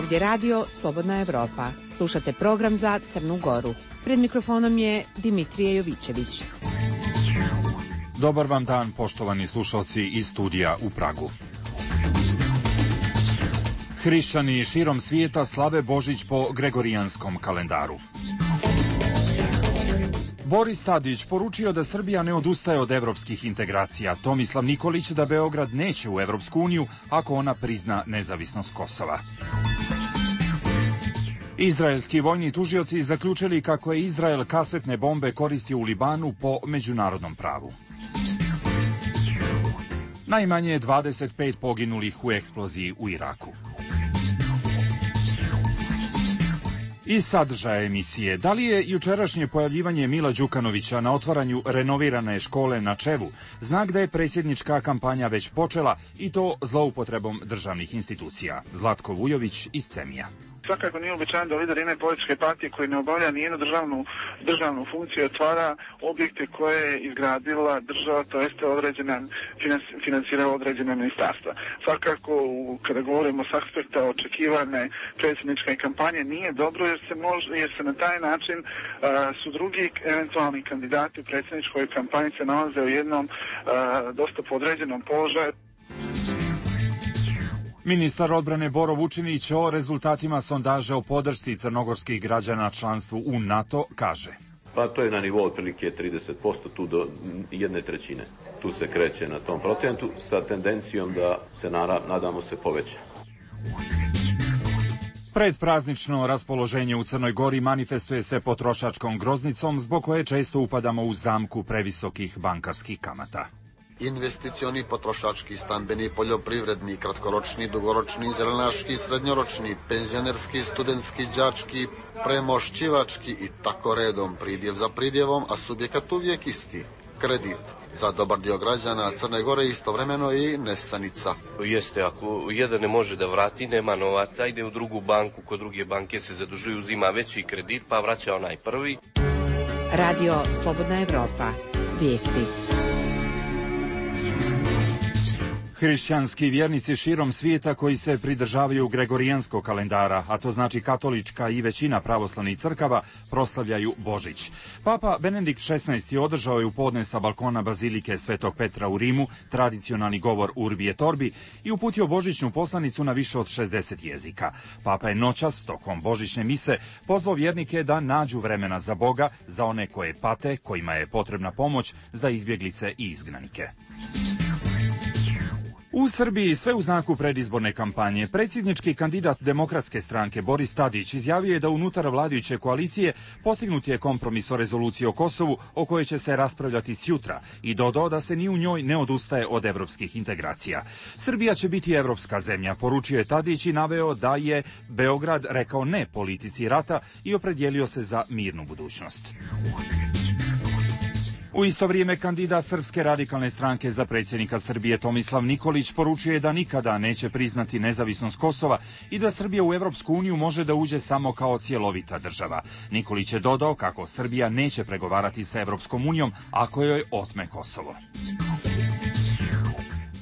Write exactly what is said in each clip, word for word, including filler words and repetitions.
Ovdje radio Slobodna Evropa. Slušate program za Crnu Goru. Pred mikrofonom je Dimitrije Jovićević. Dobar vam dan, poštovani slušalci iz studija u Pragu. Hrišćani širom svijeta slave Božić po gregorijanskom kalendaru. Boris Tadić poručio da Srbija ne odustaje od evropskih integracija. Tomislav Nikolić da Beograd neće u Evropsku uniju ako ona prizna nezavisnost Kosova. Izraelski vojni tužioci zaključili kako je Izrael kasetne bombe koristio u Libanu po međunarodnom pravu. Najmanje dvadeset pet poginulih u eksploziji u Iraku. Iz sadržaja emisije, da li je jučerašnje pojavljivanje Mila Đukanovića na otvaranju renovirane škole na Čevu znak da je predsjednička kampanja već počela i to zloupotrebom državnih institucija? Zlatko Vujović iz Cemija. Svakako nije uobičajeno da lider jedne političke partije koji ne obavlja nijednu državnu, državnu funkciju otvara objekte koje je izgradila država, to jeste određena, financirala određena ministarstva. Svakako, u, kada govorimo s aspekta očekivane predsjedničke kampanje, nije dobro jer se, može, jer se na taj način a, su drugi eventualni kandidati u predsjedničkoj kampanji se nalaze u jednom a, dosta podređenom položaju. Ministar odbrane Boro Vučinić o rezultatima sondaža o podršci crnogorskih građana članstvu u NATO kaže. Pa to je na nivou otprilike trideset posto, tu do jedne trećine. Tu se kreće na tom procentu sa tendencijom da se nadamo se poveća. Predpraznično raspoloženje u Crnoj Gori manifestuje se potrošačkom groznicom zbog koje često upadamo u zamku previsokih bankarskih kamata. Investicioni, potrošački, stambeni, poljoprivredni, kratkoročni, dugoročni, zelenaški, srednjoročni, penzionerski, studentski, đački, premošćivački i tako redom, pridjev za pridjevom, a subjekat uvijek isti. Kredit. Za dobar dio građana Crne Gore istovremeno i nesanica. Jeste, ako jedan ne može da vrati, nema novaca, ide u drugu banku, kod druge banke se zadužuju, uzima veći kredit, pa vraća onaj prvi. Radio Slobodna Evropa. Vijesti. Hrišćanski vjernici širom svijeta koji se pridržavaju gregorijanskog kalendara, a to znači katolička i većina pravoslavnih crkava, proslavljaju Božić. Papa Benedikt šesnaesti održao je u podne sa balkona Bazilike Svetog Petra u Rimu tradicionalni govor Urbi et Orbi i uputio božićnu poslanicu na više od šezdeset jezika. Papa je noćas, tokom božićne mise, pozvao vjernike da nađu vremena za Boga, za one koje pate, kojima je potrebna pomoć, za izbjeglice i izgnanike. U Srbiji sve u znaku predizborne kampanje. Predsjednički kandidat Demokratske stranke Boris Tadić izjavio je da unutar vladajuće koalicije postignut je kompromis o rezoluciji o Kosovu o kojoj će se raspravljati sjutra i dodao da se ni u njoj ne odustaje od evropskih integracija. Srbija će biti evropska zemlja, poručio je Tadić i naveo da je Beograd rekao ne politici rata i opredijelio se za mirnu budućnost. U isto vrijeme kandidat Srpske radikalne stranke za predsjednika Srbije Tomislav Nikolić poručio je da nikada neće priznati nezavisnost Kosova i da Srbija u Evropsku uniju može da uđe samo kao cjelovita država. Nikolić je dodao kako Srbija neće pregovarati sa Evropskom unijom ako joj otme Kosovo.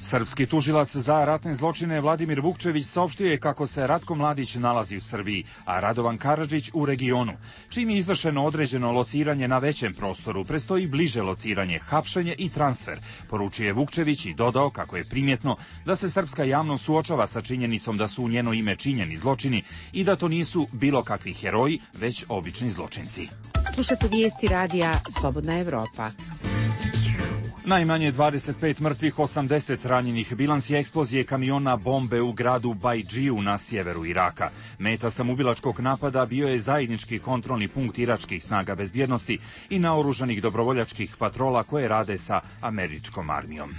Srpski tužilac za ratne zločine Vladimir Vukčević saopštio je kako se Ratko Mladić nalazi u Srbiji, a Radovan Karadžić u regionu. Čim je izvršeno određeno lociranje na većem prostoru, prestoji bliže lociranje, hapšenje i transfer, poručio je Vukčević i dodao kako je primjetno da se srpska javnost suočava sa činjenicom da su u njeno ime činjeni zločini i da to nisu bilo kakvi heroji, već obični zločinci. Slušate vijesti radija Slobodna Evropa. Najmanje dvadeset pet mrtvih, osamdeset ranjenih. Bilans je eksplozije kamiona bombe u gradu Bajdžiju na sjeveru Iraka. Meta samoubilačkog napada bio je zajednički kontrolni punkt iračkih snaga bezbjednosti i naoružanih dobrovoljačkih patrola koje rade sa američkom armijom.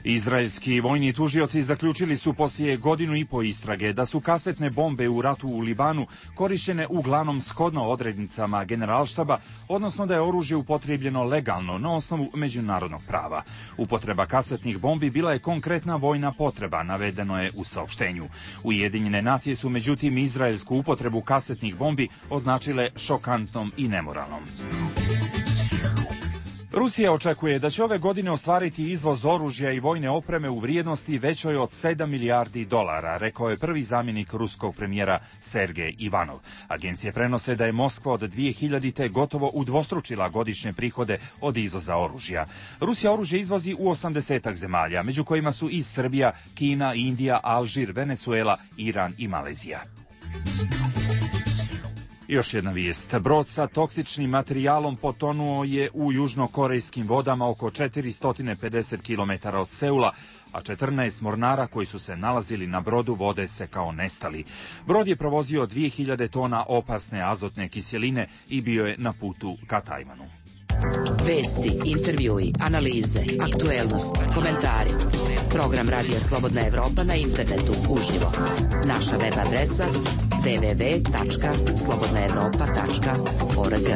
Izraelski vojni tužioci zaključili su poslije godinu i po istrage da su kasetne bombe u ratu u Libanu korišćene uglavnom shodno odrednicama generalštaba, odnosno da je oružje upotrijebljeno legalno na osnovu međunarodnog prava. Upotreba kasetnih bombi bila je konkretna vojna potreba, navedeno je u saopštenju. Ujedinjene nacije su međutim izraelsku upotrebu kasetnih bombi označile šokantnom i nemoralnom. Rusija očekuje da će ove godine ostvariti izvoz oružja i vojne opreme u vrijednosti većoj od sedam milijardi dolara, rekao je prvi zamjenik ruskog premijera Sergej Ivanov. Agencije prenose da je Moskva od dvije hiljadite. gotovo udvostručila godišnje prihode od izvoza oružja. Rusija oružje izvozi u osamdesetak zemalja, među kojima su i Srbija, Kina, Indija, Alžir, Venezuela, Iran i Malezija. Još jedna vijest. Brod sa toksičnim materijalom potonuo je u južnokorejskim vodama oko četiristo pedeset kilometara od Seula, a četrnaest mornara koji su se nalazili na brodu vode se kao nestali. Brod je provozio dvije hiljade tona opasne azotne kiseline i bio je na putu ka Tajvanu. Vesti, intervjui, analize, aktuelnost, komentari. Program Radija Slobodna Evropa na internetu uživo. Naša web adresa w w w tačka slobodna evropa tačka org.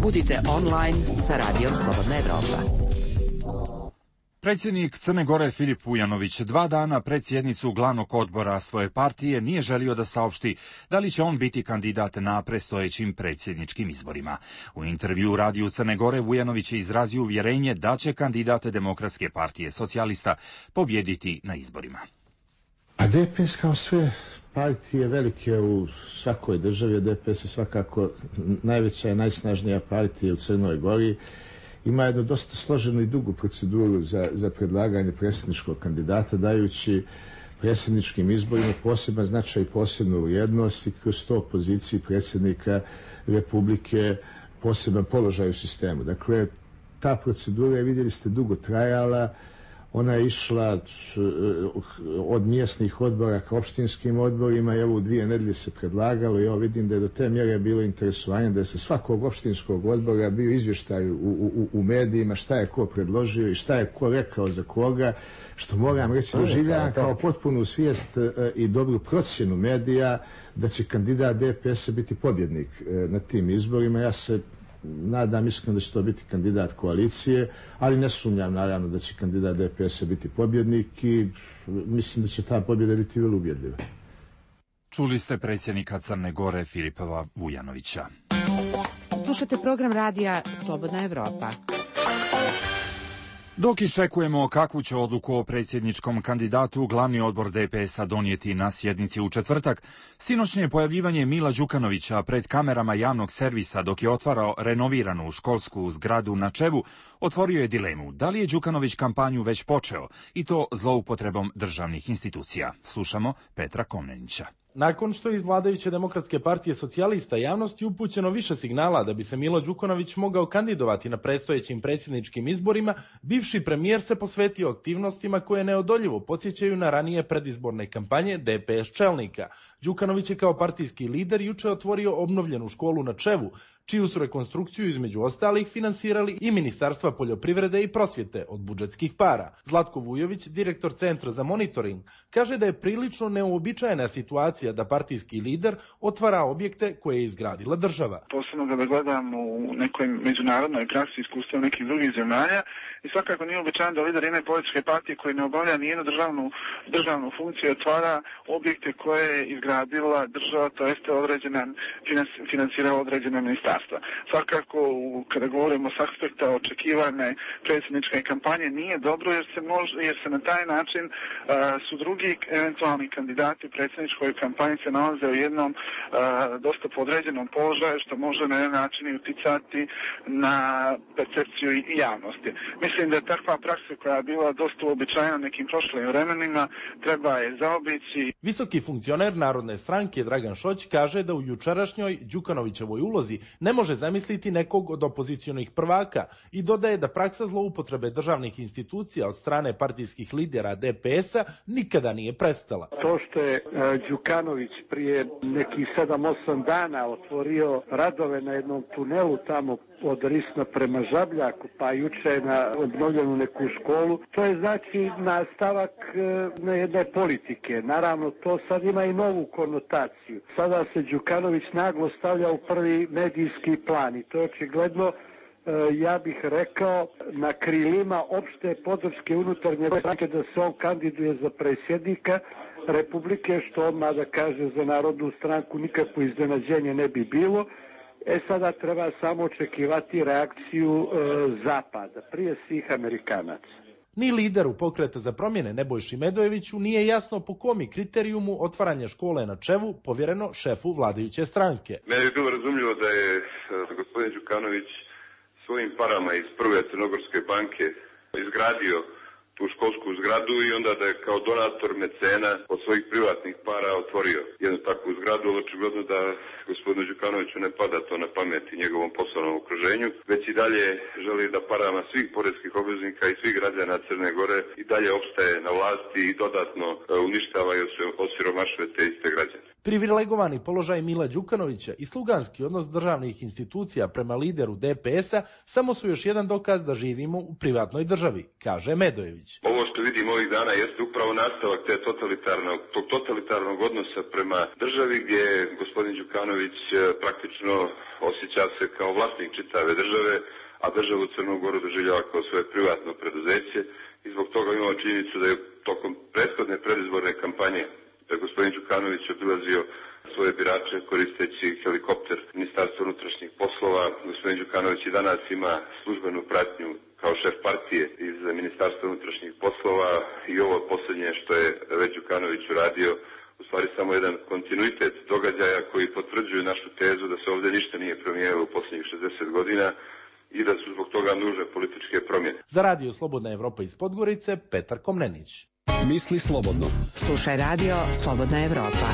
Budite online sa Radijom Slobodna Evropa. Predsjednik Crne Gore Filip Vujanović dva dana pred sjednicu glavnog odbora svoje partije nije želio da saopšti da li će on biti kandidat na predstojećim predsjedničkim izborima. U intervju Radiju Crne Gore Vujanović je izrazio uvjerenje da će kandidat Demokratske partije socijalista pobjediti na izborima. A D P S kao sve partije velike u svakoj državi, D P S je svakako najveća i najsnažnija partija u Crnoj Gori. Ima jednu dosta složenu i dugu proceduru za, za predlaganje predsjedničkog kandidata, dajući predsjedničkim izborima poseban značaj i posebnu vrijednost i kroz to poziciji predsjednika Republike poseban položaj u sistemu. Dakle, ta procedura je, vidjeli ste, dugo trajala. Ona je išla od mjesnih odbora ka opštinskim odborima i evo u dvije nedelje se predlagalo i evo vidim da je do te mjere bilo interesovanje da se svakog opštinskog odbora bio izvještaj u, u, u medijima šta je ko predložio i šta je ko rekao za koga, što moram reći doživljavam kao potpunu svijest i dobru procjenu medija da će kandidat D P S biti pobjednik na tim izborima. Ja se nadam iskreno da će to biti kandidat koalicije, ali ne sumnjam naravno da će kandidat D P S biti pobjednik i mislim da će ta pobjeda biti vrlo ubjedljiva. Čuli ste predsjednika Crne Gore Filipa Vujanovića. Slušate program radija Slobodna Evropa. Dok iščekujemo kakvu će odluku o predsjedničkom kandidatu, glavni odbor D P S-a donijeti na sjednici u četvrtak, sinoćnje pojavljivanje Mila Đukanovića pred kamerama javnog servisa dok je otvarao renoviranu školsku zgradu na Čevu, otvorio je dilemu da li je Đukanović kampanju već počeo i to zloupotrebom državnih institucija. Slušamo Petra Komnenića. Nakon što je iz vladajuće Demokratske partije socijalista javnosti upućeno više signala da bi se Milo Đukanović mogao kandidovati na predstojećim predsjedničkim izborima, bivši premijer se posvetio aktivnostima koje neodoljivo podsjećaju na ranije predizborne kampanje D P S čelnika. Đukanović je kao partijski lider juče otvorio obnovljenu školu na Čevu, čiju su rekonstrukciju između ostalih finansirali i Ministarstva poljoprivrede i prosvjete od budžetskih para. Zlatko Vujović, direktor Centra za monitoring, kaže da je prilično neuobičajena situacija da partijski lider otvara objekte koje je izgradila država. Posebno kada gledam u nekoj međunarodnoj praksi iskustva nekih drugih zemalja i svakako nije uobičajeno da lider jedne političke partije koji ne obavlja nijednu državnu, državnu funkciju otvara objekte koje je izgradila država, to jeste određena, finansirala određena ministarstva. Svakako, kada govorimo s aspekta očekivane predsjedničke kampanje, nije dobro jer se, može, jer se na taj način uh, su drugi eventualni kandidati u predsjedničkoj kampanji se nalaze u jednom uh, dosta podređenom položaju što može na jedan način i uticati na percepciju i javnosti. Mislim da je takva praksa koja je bila dosta uobičajena nekim prošlim vremenima, treba je zaobići. Visoki funkcioner Narodne stranke Dragan Šoć kaže da u jučerašnjoj Đukanovićevoj ulozi ne može zamisliti nekog od opozicionih prvaka i dodaje da praksa zloupotrebe državnih institucija od strane partijskih lidera D P S-a nikada nije prestala. To što je Đukanović prije nekih sedam osam dana otvorio radove na jednom tunelu tamo od Risna prema Žabljaku, pa juče na obnovljenu neku školu, to je znači nastavak na jedne politike. Naravno, to sad ima i novu konotaciju. Sada se Đukanović naglo stavlja u prvi medijski plan i to je očigledno, ja bih rekao, na krilima opšte podrške unutarnje stranke da se on kandiduje za predsjednika Republike, što odmah da kaže za Narodnu stranku nikakvo iznenađenje ne bi bilo. E sada treba samo očekivati reakciju e, Zapada, prije svih Amerikanaca. Ni lideru Pokreta za promjene Nebojši Medojeviću nije jasno po komi kriterijumu otvaranje škole na Čevu povjereno šefu vladajuće stranke. Meni je bilo razumljivo da je gospodin Đukanović svojim parama iz prve Crnogorske banke izgradio tu školsku zgradu i onda da je kao donator mecena od svojih privatnih para otvorio jednu takvu zgradu, ali očigledno da gospodinu Đukanoviću ne pada to na pamet i njegovom poslovnom okruženju, već i dalje želi da parama svih poreskih obveznika i svih građana Crne Gore i dalje opstaje na vlasti i dodatno uništava i osiromašuje te iste građane. Privilegovani položaj Mila Đukanovića i sluganski odnos državnih institucija prema lideru D P S-a samo su još jedan dokaz da živimo u privatnoj državi, kaže Medojević. Ovo što vidimo ovih dana jeste upravo nastavak te totalitarnog, tog totalitarnog odnosa prema državi gdje gospodin Đukanović praktično osjeća se kao vlasnik čitave države, a državu Crnu Goru doživljava kao svoje privatno preduzeće i zbog toga imamo činjenicu da je tokom prethodne predizborne kampanje da je gospodin Đukanović obilazio svoje birače koristeći helikopter Ministarstva unutrašnjih poslova. Gospodin Đukanović i danas ima službenu pratnju kao šef partije iz Ministarstva unutrašnjih poslova i ovo posljednje što je već Đukanović uradio u stvari samo jedan kontinuitet događaja koji potvrđuju našu tezu da se ovdje ništa nije promijenilo u posljednjih šezdeset godina i da su zbog toga nužne političke promjene. Za Radio Slobodna Evropa iz Podgorice, Petar Komnenić. Misli slobodno. Slušaj Radio Slobodna Evropa.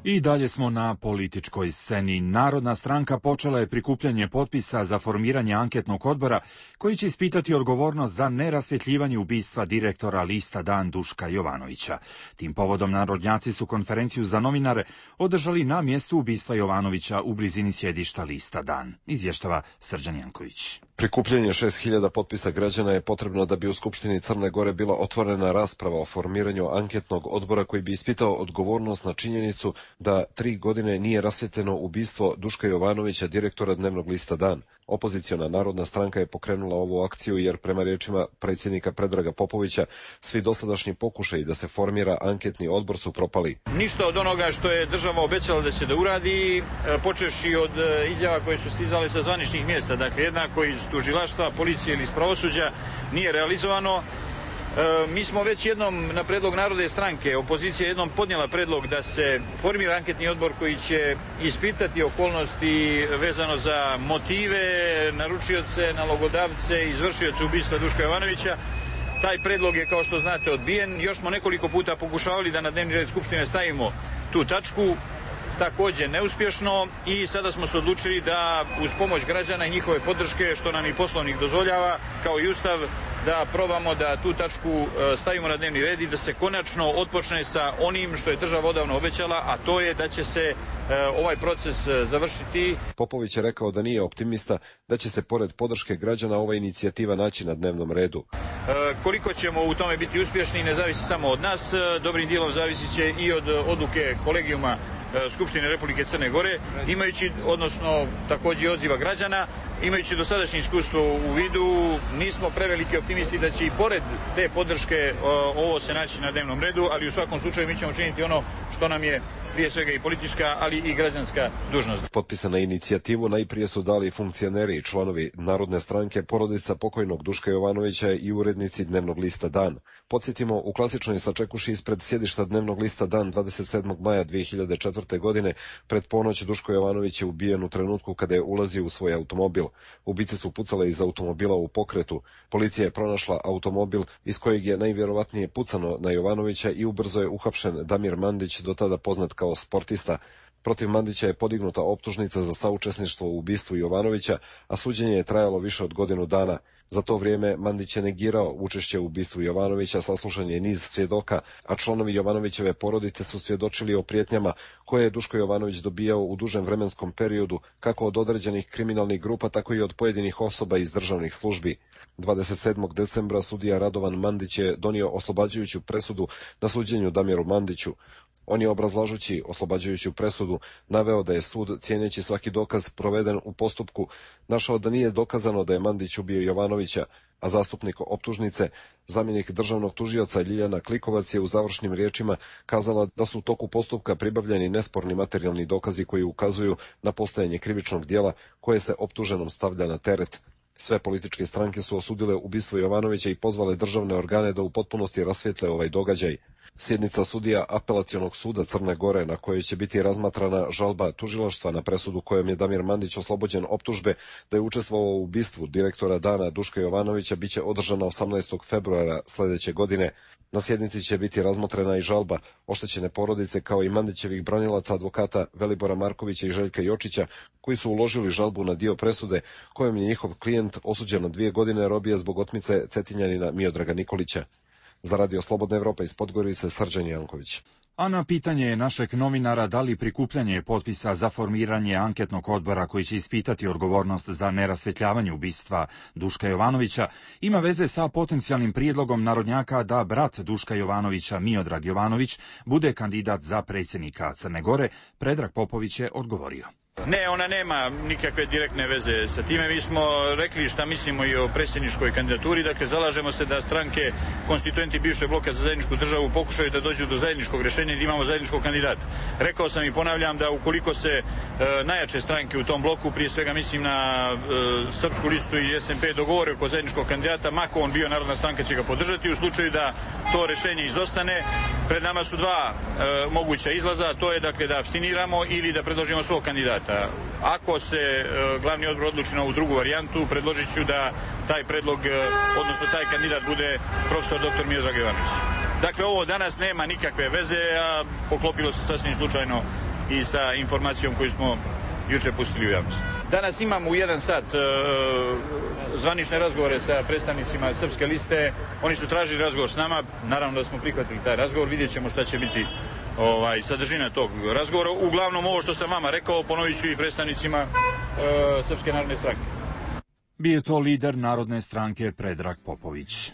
I dalje smo na političkoj sceni. Narodna stranka počela je prikupljanje potpisa za formiranje anketnog odbora koji će ispitati odgovornost za nerasvjetljivanje ubistva direktora lista Dan Duška Jovanovića. Tim povodom narodnjaci su konferenciju za novinare održali na mjestu ubistva Jovanovića u blizini sjedišta lista Dan. Izvještava Srđan Janković. Prikupljanje šest hiljada potpisa građana je potrebno da bi u Skupštini Crne Gore bila otvorena rasprava o formiranju anketnog odbora koji bi ispitao odgovornost na činjenicu da tri godine nije rasvjetljeno ubistvo Duška Jovanovića, direktora dnevnog lista Dan. Opoziciona narodna stranka je pokrenula ovu akciju jer prema riječima predsjednika Predraga Popovića svi dosadašnji pokušaji da se formira anketni odbor su propali. Ništa od onoga što je država obećala da će da uradi, počevši od izjava koje su stizale sa zvaničnih mjesta, dakle jednako iz tužilaštva, policije ili iz pravosuđa, nije realizovano. E, mi smo već jednom na predlog Narodne stranke, opozicija jednom podnijela predlog da se formira anketni odbor koji će ispitati okolnosti vezano za motive, naručioce, nalogodavce, izvršioce ubistva Duška Jovanovića. Taj predlog je, kao što znate, odbijen. Još smo nekoliko puta pokušavali da na dnevni red Skupštine stavimo tu tačku, također neuspješno, i sada smo se odlučili da uz pomoć građana i njihove podrške, što nam i Poslovnik dozvoljava, kao i Ustav, da probamo da tu tačku stavimo na dnevni red i da se konačno otpočne sa onim što je država odavno obećala, a to je da će se ovaj proces završiti. Popović je rekao da nije optimista da će se pored podrške građana ova inicijativa naći na dnevnom redu. Koliko ćemo u tome biti uspješni ne zavisi samo od nas, dobrim dijelom zavisi će i od odluke kolegijuma Skupštine Republike Crne Gore, imajući, odnosno također odziva građana, imajući dosadašnje iskustvo u vidu, nismo preveliki optimisti da će i pored te podrške ovo se naći na dnevnom redu, ali u svakom slučaju mi ćemo činiti ono što nam je prije svega i politička, ali i građanska dužnost. Potpisa na inicijativu najprije su dali funkcioneri i članovi Narodne stranke, porodica pokojnog Duška Jovanovića i urednici dnevnog lista Dan. Podsjetimo, u klasičnoj sačekuši ispred sjedišta dnevnog lista Dan dvadeset sedmog maja dvije hiljade četvrte. godine pred ponoć Duško Jovanović je ubijen u trenutku kada je ulazio u svoj automobil. Ubice su pucale iz automobila u pokretu. Policija je pronašla automobil iz kojeg je najvjerovatnije pucano na Jovanovića i ubrzo je uhapšen Damir Mandić, do tada poznat kao sportista. Protiv Mandića je podignuta optužnica za saučesništvo u ubistvu Jovanovića, a suđenje je trajalo više od godinu dana. Za to vrijeme Mandić je negirao učešće u ubistvu Jovanovića, saslušan je niz svjedoka, a članovi Jovanovićeve porodice su svjedočili o prijetnjama koje je Duško Jovanović dobijao u dužem vremenskom periodu, kako od određenih kriminalnih grupa, tako i od pojedinih osoba iz državnih službi. dvadeset sedmog decembra sudija Radovan Mandić je donio oslobađajuću presudu na suđenju Damiru Mandiću. On je, obrazlažući oslobađajuću presudu, naveo da je sud, cijeneći svaki dokaz proveden u postupku, našao da nije dokazano da je Mandić ubio Jovanovića, a zastupnik optužnice, zamjenik državnog tužioca Ljiljana Klikovac, je u završnim riječima kazala da su u toku postupka pribavljeni nesporni materijalni dokazi koji ukazuju na postojanje krivičnog djela koje se optuženom stavlja na teret. Sve političke stranke su osudile ubistvo Jovanovića i pozvale državne organe da u potpunosti rasvijetle ovaj događaj. Sjednica sudija Apelacionog suda Crne Gore, na kojoj će biti razmatrana žalba tužilaštva na presudu kojom je Damir Mandić oslobođen optužbe da je učestvovao u ubistvu direktora Dana Duška Jovanovića, biće održana osamnaestog februara sljedeće godine. Na sjednici će biti razmotrena i žalba oštećene porodice kao i Mandićevih branilaca advokata Velibora Markovića i Željka Jočića, koji su uložili žalbu na dio presude kojom je njihov klijent osuđen na dvije godine robije zbog otmice Cetinjanina Miodraga Nikolića. Za Radio Slobodna Evropa iz Podgorice, Srđan Janković. A na pitanje našeg novinara da li prikupljanje potpisa za formiranje anketnog odbora koji će ispitati odgovornost za nerasvjetljavanje ubistva Duška Jovanovića ima veze sa potencijalnim prijedlogom narodnjaka da brat Duška Jovanovića, Miodrag Jovanović, bude kandidat za predsjednika Crne Gore, Predrag Popović je odgovorio. Ne, ona nema nikakve direktne veze sa time. Mi smo rekli šta mislimo i o predsjedničkoj kandidaturi. Dakle, zalažemo se da stranke konstituenti bivšeg bloka za zajedničku državu pokušaju da dođu do zajedničkog rješenja i da imamo zajedničkog kandidata. Rekao sam i ponavljam da ukoliko se e, najjače stranke u tom bloku, prije svega mislim na e, Srpsku listu i S N P, dogovore oko zajedničkog kandidata, mako on bio, Narodna stranka će ga podržati. U slučaju da to rješenje izostane, pred nama su dva e, moguća izlaza, to je dakle da apstiniramo ili da predložimo svog kandidata. Ako se e, glavni odbor odluči na ovu drugu varijantu, predložit ću da taj predlog, e, odnosno taj kandidat bude profesor doktor Miodrag Jovanović. Dakle, ovo danas nema nikakve veze, a poklopilo se sasvim slučajno i sa informacijom koju smo juče pustili u javnost. Danas imamo u jedan sat e, zvanične razgovore sa predstavnicima Srpske liste. Oni su tražili razgovor s nama, naravno da smo prihvatili taj razgovor, vidjet ćemo šta će biti ovaj, sadržina tog razgovora. Uglavnom ovo što sam vama rekao, ponovit ću i predstavnicima e, Srpske narodne stranke. Bio je to lider Narodne stranke Predrag Popović.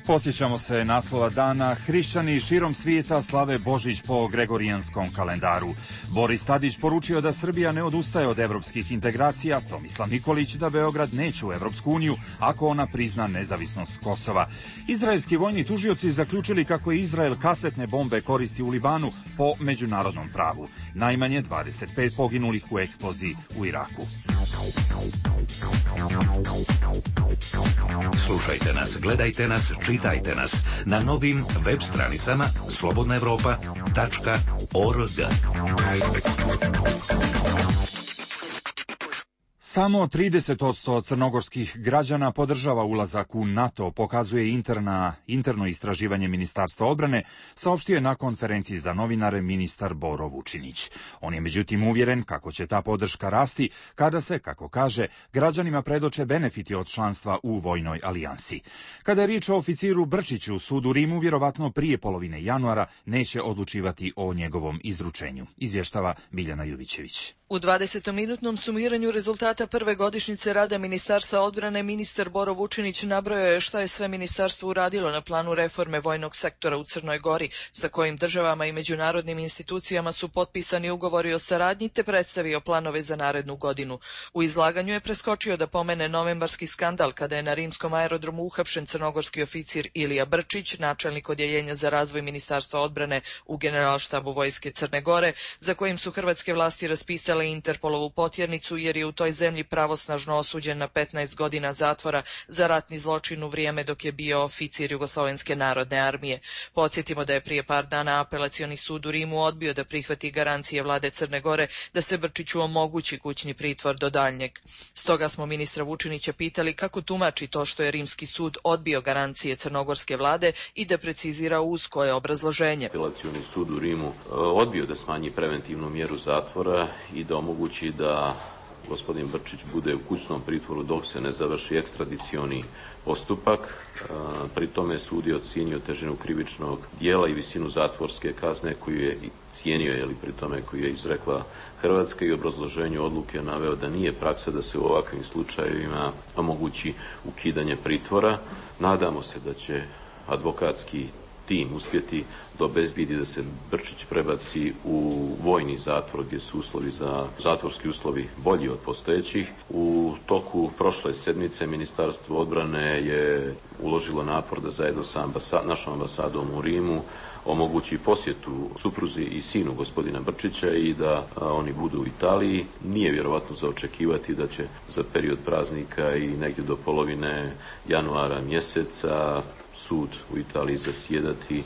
Posjećamo se naslova dana. Hrišćani širom svijeta slave Božić po gregorijanskom kalendaru. Boris Tadić poručio da Srbija ne odustaje od evropskih integracija, Tomislav Nikolić da Beograd neće u Evropsku uniju ako ona prizna nezavisnost Kosova. Izraelski vojni tužioci zaključili kako je Izrael kasetne bombe koristi u Libanu po međunarodnom pravu. Najmanje dvadeset pet poginulih u eksploziji u Iraku. Slušajte nas, gledajte nas, čitajte nas na novim web stranicama slobodna evropa tačka org. Samo trideset posto crnogorskih građana podržava ulazak u NATO, pokazuje interna, interno istraživanje Ministarstva odbrane, saopštio je na konferenciji za novinare ministar Boro Vučinić. On je međutim uvjeren kako će ta podrška rasti kada se, kako kaže, građanima predoče benefiti od članstva u vojnoj alijansi. Kada je riječ o oficiru Brčiću, sud u Rimu vjerovatno prije polovine januara neće odlučivati o njegovom izručenju, izvještava Biljana Juvićević. U dvadesetominutnom sumiranju rezultata prve godišnjice rada Ministarstva odbrane ministar Boro Vučinić nabrojao je šta je sve ministarstvo uradilo na planu reforme vojnog sektora u Crnoj Gori, sa kojim državama i međunarodnim institucijama su potpisani ugovori o saradnji, te predstavio planove za narednu godinu. U izlaganju je preskočio da pomene novembarski skandal kada je na rimskom aerodromu uhapšen crnogorski oficir Ilija Brčić, načelnik odjeljenja za razvoj Ministarstva odbrane u Generalštabu vojske Crne Gore, za kojim su hrvatske vlasti raspisale Interpolovu potjernicu jer je u toj zemlji pravosnažno osuđen na petnaest godina zatvora za ratni zločin u vrijeme dok je bio oficir Jugoslovenske narodne armije. Podsjetimo da je prije par dana Apelacioni sud u Rimu odbio da prihvati garancije vlade Crne Gore da se Brčiću omogući kućni pritvor do daljnjeg. Stoga smo ministra Vučinića pitali kako tumači to što je rimski sud odbio garancije crnogorske vlade i da precizira uz koje obrazloženje. Apelacioni sud u Rimu odbio da smanji preventivnu mjeru zatvora i da omogući da gospodin Brčić bude u kućnom pritvoru dok se ne završi ekstradicioni postupak. Pri tome sud je ocijenio težinu krivičnog dijela i visinu zatvorske kazne koju je cijenio, je li pri tome koju je izrekla Hrvatska, i obrazloženju odluke naveo da nije praksa da se u ovakvim slučajevima omogući ukidanje pritvora. Nadamo se da će advokatski tim uspjeti da obezbijedi da se Brčić prebaci u vojni zatvor gdje su uslovi za zatvorski uslovi bolji od postojećih. U toku prošle sedmice Ministarstvo odbrane je uložilo napor da zajedno sa ambasa, našom ambasadom u Rimu omogući posjetu supruzi i sinu gospodina Brčića i da a, oni budu u Italiji. Nije vjerovatno za očekivati da će za period praznika i negdje do polovine januara mjeseca sud u Italiji zasjedati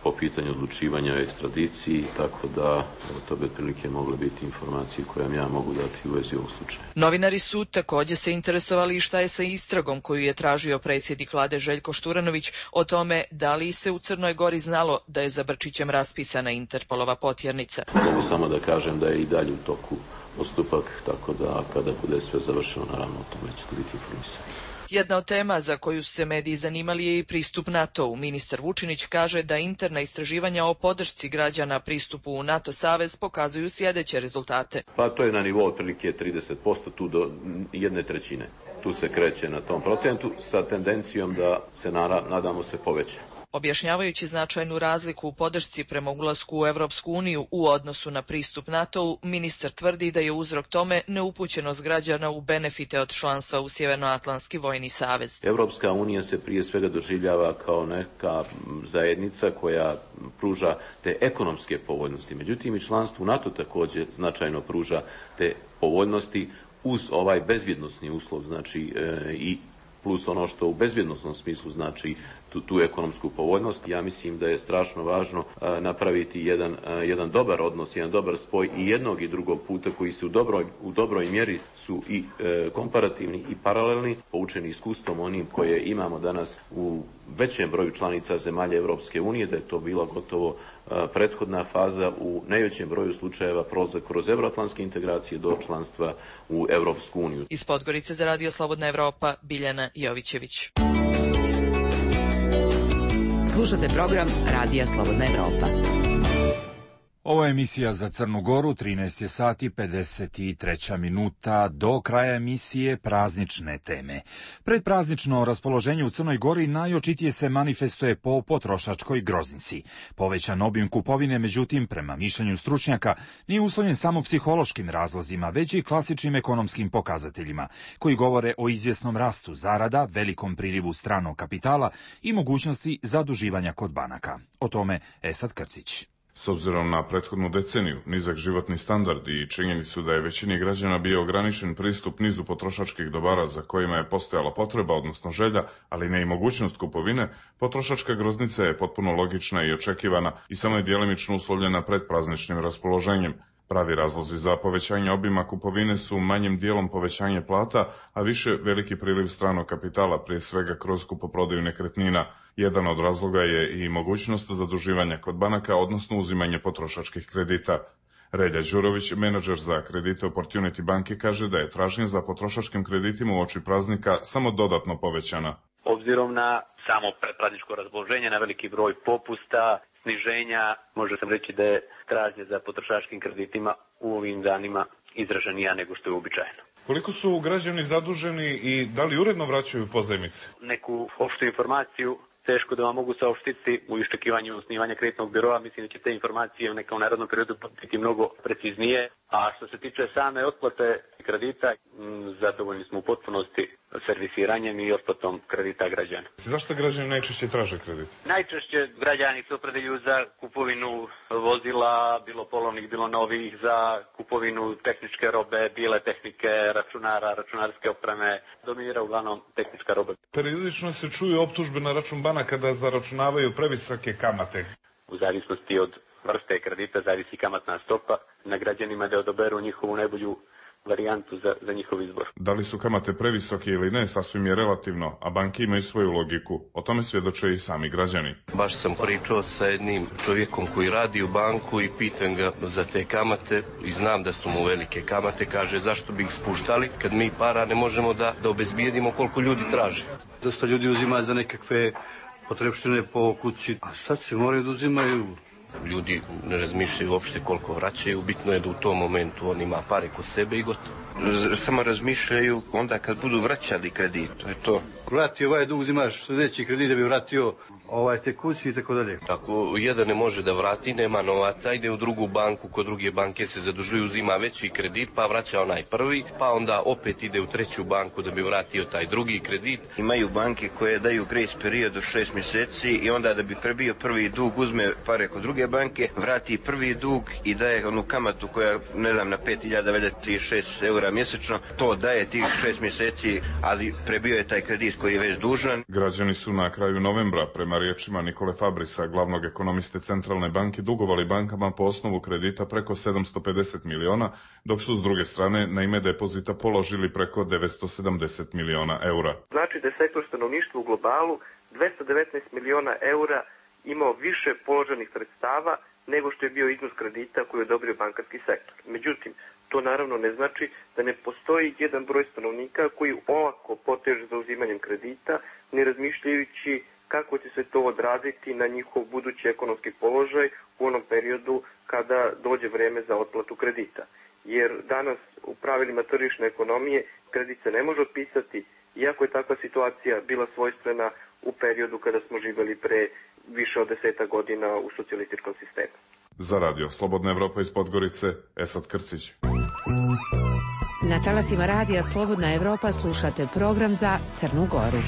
po pitanju odlučivanja o ekstradiciji, tako da to bi otprilike mogle biti informacije koje ja mogu dati u vezi ovog slučaja. Novinari su također se interesovali šta je sa istragom koju je tražio predsjednik vlade Željko Šturanović o tome da li se u Crnoj Gori znalo da je za Brčićem raspisana Interpolova potjernica. Mogu samo da kažem da je i dalje u toku postupak, tako da kada bude sve završeno, naravno o tome ćete biti informisani. Jedna od tema za koju su se mediji zanimali je i pristup NATO-u. Ministar Vučinić kaže da interna istraživanja o podršci građana pristupu u NATO savez pokazuju sljedeće rezultate. Pa to je na nivou otprilike trideset posto, tu do jedne trećine. Tu se kreće na tom procentu sa tendencijom da se nadamo se poveća. Objašnjavajući značajnu razliku u podršci prema ulasku u Evropsku uniju u odnosu na pristup NATO-u, ministar tvrdi da je uzrok tome neupućenost građana u benefite od članstva u Sjevernoatlantski vojni savez. Evropska unija se prije svega doživljava kao neka zajednica koja pruža te ekonomske povoljnosti. Međutim, i članstvo u NATO također značajno pruža te povoljnosti uz ovaj bezbjednosni uslov, znači e, i plus ono što u bezbjednosnom smislu znači tu, tu ekonomsku povoljnost. Ja mislim da je strašno važno a, napraviti jedan, a, jedan dobar odnos, jedan dobar spoj i jednog i drugog puta koji su u dobroj, u dobroj mjeri su i e, komparativni i paralelni, poučeni iskustvom onim koje imamo danas u većem broju članica zemalja Europske unije, da je to bila gotovo a, prethodna faza u najvećem broju slučajeva prolazak kroz euroatlantske integracije do članstva u Europsku uniju. Iz Podgorice za Radio Slobodna Evropa, Biljana Jovićević. Slušate program Radija Slobodna Evropa. Ovo je emisija za Crnu Goru, trinaest je sati pedeset treća minuta, do kraja emisije praznične teme. Predpraznično raspoloženje u Crnoj Gori najočitije se manifestuje po potrošačkoj groznici. Povećan obim kupovine, međutim, prema mišljenju stručnjaka, nije uslovljen samo psihološkim razlozima, već i klasičnim ekonomskim pokazateljima, koji govore o izvjesnom rastu zarada, velikom prilivu stranog kapitala i mogućnosti zaduživanja kod banaka. O tome Esad Krcić. S obzirom na prethodnu deceniju, nizak životni standard i činjenicu da je većini građana bio ograničen pristup nizu potrošačkih dobara za kojima je postojala potreba, odnosno želja, ali ne i mogućnost kupovine, potrošačka groznica je potpuno logična i očekivana i samo je djelimično uslovljena predprazničnim raspoloženjem. Pravi razlozi za povećanje obima kupovine su manjim dijelom povećanje plata, a više veliki priliv stranog kapitala, prije svega kroz kupoprodaju nekretnina. Jedan od razloga je i mogućnost zaduživanja kod banaka, odnosno uzimanje potrošačkih kredita. Relja Đurović, menadžer za kredite Opportunity banke, kaže da je tražnja za potrošačkim kreditima uoči praznika samo dodatno povećana. Obzirom na samo predprazničko raspoloženje, na veliki broj popusta, sniženja, može sam reći da je tražnja za potrošačkim kreditima u ovim danima izraženija nego što je uobičajeno. Koliko su građani zaduženi i da li uredno vraćaju pozajmice? Neku opštu informaciju teško da vam mogu saopštiti u iščekivanju osnivanja kreditnog biroa. Mislim da će te informacije u nekom narednom periodu biti mnogo preciznije. A što se tiče same otplate kredita, zadovoljni smo u potpunosti servisiranjem i otplatom kredita građana. Zašto građani najčešće traže kredit? Najčešće građani se opredeljuju za kupovinu vozila, bilo polovnih, bilo novih, za kupovinu tehničke robe, bile tehnike, računara, računarske opreme. Dominira uglavnom tehnička roba. Periodično se čuju optužbe na račun banaka da zaračunavaju previsoke kamate. U zavisnosti od vrste kredita zavisi kamatna stopa. Na građanima da odaberu njihovu najbolju varijantu za, za njihov izbor. Da li su kamate previsoke ili ne, sasvim je relativno, a banke imaju svoju logiku. O tome svjedoče i sami građani. Baš sam pričao sa jednim čovjekom koji radi u banku i pitam ga za te kamate i znam da su mu velike kamate. Kaže, zašto bi ih spuštali kad mi para ne možemo da, da obezbijedimo koliko ljudi traže. Dosta ljudi uzima za nekakve potrebštine po kući, a sad se moraju da uzimaju. Ljudi ne razmišljaju uopšte koliko vraćaju, bitno je da u tom momentu on ima pare kod sebe i gotovo. Samo razmišljaju onda kad budu vraćali kredit, to je to. Vrati ovaj dug, uzimaš sljedeći kredit da bi vratio ovaj, tekući i tako dalje. Ako jedan ne može da vrati, nema novaca, ide u drugu banku, kod druge banke se zadužuju, uzima veći kredit, pa vraća onaj prvi, pa onda opet ide u treću banku da bi vratio taj drugi kredit. Imaju banke koje daju grace period od šest mjeseci i onda da bi prebio prvi dug uzme pare kod druge banke, vrati prvi dug i daje onu kamatu koja, ne znam, na pet hiljada trideset šest eura mjesečno, to daje tih šest mjeseci, ali prebio je taj kredit koji je već dužan. Građani su na kraju novembra, prema riječima Nikole Fabrisa, glavnog ekonomiste Centralne banke, dugovali bankama po osnovu kredita preko sedamsto pedeset miliona, dok su s druge strane na ime depozita položili preko devetsto sedamdeset miliona eura. Znači da je sektor stanovništva u globalu dvesta devetnaest miliona eura imao više položenih sredstava nego što je bio iznos kredita koji je odobrio bankarski sektor. Međutim, to naravno ne znači da ne postoji jedan broj stanovnika koji olako poteže za uzimanjem kredita, ne razmišljajući kako će se to odraziti na njihov budući ekonomski položaj u onom periodu kada dođe vreme za otplatu kredita. Jer danas u pravilima tržišne ekonomije kredit se ne može otpisati, iako je takva situacija bila svojstvena u periodu kada smo živjeli pre više od deseta godina u socijalističkom sistemu. Za radio Slobodna Evropa iz Podgorice, Esad Krcić. Na talasima radija Slobodna Evropa slušate program za Crnu Goru.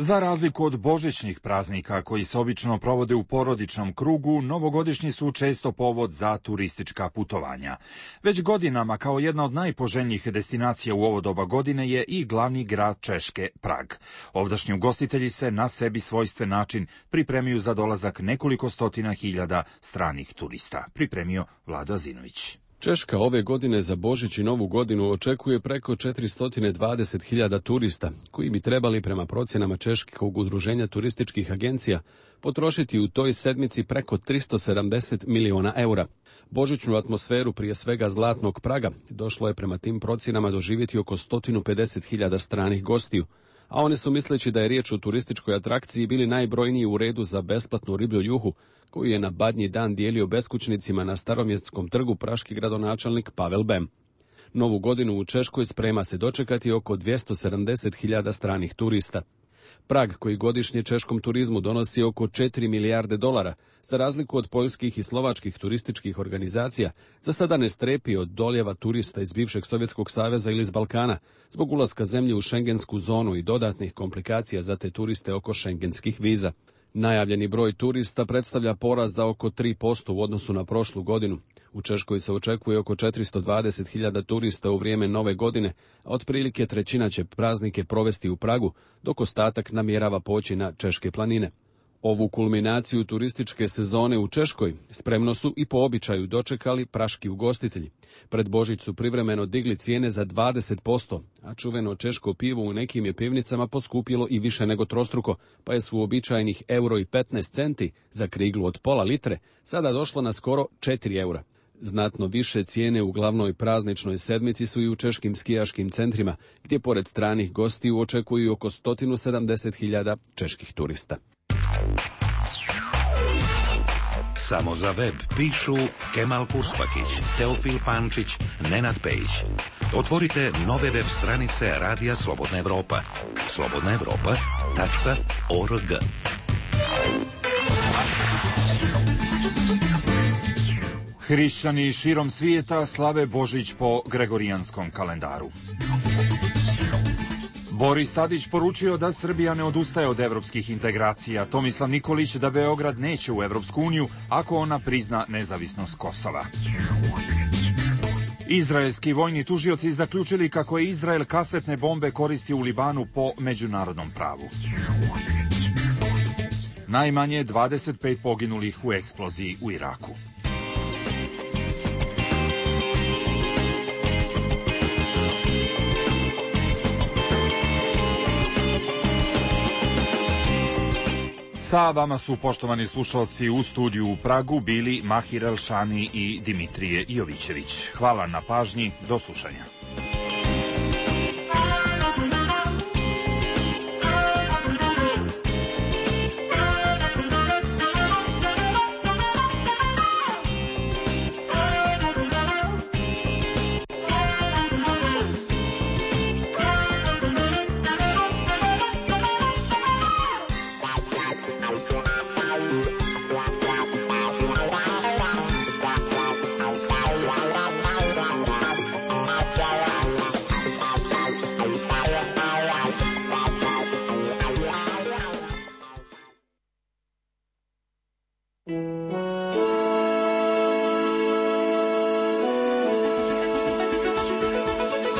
Za razliku od božićnih praznika koji se obično provode u porodičnom krugu, novogodišnji su često povod za turistička putovanja. Već godinama kao jedna od najpoželjnijih destinacija u ovo doba godine je i glavni grad Češke, Prag. Ovdašnji ugostitelji se na sebi svojstven način pripremaju za dolazak nekoliko stotina hiljada stranih turista. Pripremio Vlado Azinović. Češka ove godine za Božić i Novu godinu očekuje preko četiristo dvadeset hiljada turista, koji bi trebali prema procjenama Češkog udruženja turističkih agencija potrošiti u toj sedmici preko tristo sedamdeset miliona eura. Božićnu atmosferu, prije svega zlatnog Praga, došlo je prema tim procjenama doživjeti oko sto pedeset hiljada stranih gostiju, a oni su, misleći da je riječ o turističkoj atrakciji, bili najbrojniji u redu za besplatnu riblju juhu, koju je na Badnji dan dijelio beskućnicima na Staromjestskom trgu praški gradonačelnik Pavel Bem. Novu godinu u Češkoj sprema se dočekati oko dvjesto sedamdeset hiljada stranih turista. Prag, koji godišnje češkom turizmu donosi oko četiri milijarde dolara, za razliku od poljskih i slovačkih turističkih organizacija, za sada ne strepi od doljeva turista iz bivšeg Sovjetskog saveza ili iz Balkana, zbog ulaska zemlje u šengensku zonu i dodatnih komplikacija za te turiste oko šengenskih viza. Najavljeni broj turista predstavlja porast za oko tri posto u odnosu na prošlu godinu. U Češkoj se očekuje oko četiristo dvadeset hiljada turista u vrijeme nove godine, a otprilike trećina će praznike provesti u Pragu, dok ostatak namjerava poći na češke planine. Ovu kulminaciju turističke sezone u Češkoj spremno su i po običaju dočekali praški ugostitelji. Pred Božić su privremeno digli cijene za dvadeset posto, a čuveno češko pivo u nekim je pivnicama poskupilo i više nego trostruko, pa je s uobičajenih euro i petnaest centi za kriglu od pola litre sada došlo na skoro četiri eura. Znatno više cijene u glavnoj prazničnoj sedmici su i u češkim skijaškim centrima, gdje pored stranih gostiju očekuju oko sto sedamdeset hiljada čeških turista. Samo za web pišu Kemal Kurspakić, Teofil Pančić, Nenad Pejić. Otvorite nove web stranice Radija Slobodna Evropa. slobodna evropa tačka org. Hrišćani širom svijeta slave Božić po gregorijanskom kalendaru. Boris Tadić poručio da Srbija ne odustaje od evropskih integracija. Tomislav Nikolić da Beograd neće u Evropsku uniju ako ona prizna nezavisnost Kosova. Izraelski vojni tužioci zaključili kako je Izrael kasetne bombe koristi u Libanu po međunarodnom pravu. Najmanje dvadeset pet poginulih u eksploziji u Iraku. Sa vama su, poštovani slušalci, u studiju u Pragu bili Mahir Elšani i Dimitrije Jovićević. Hvala na pažnji, do slušanja.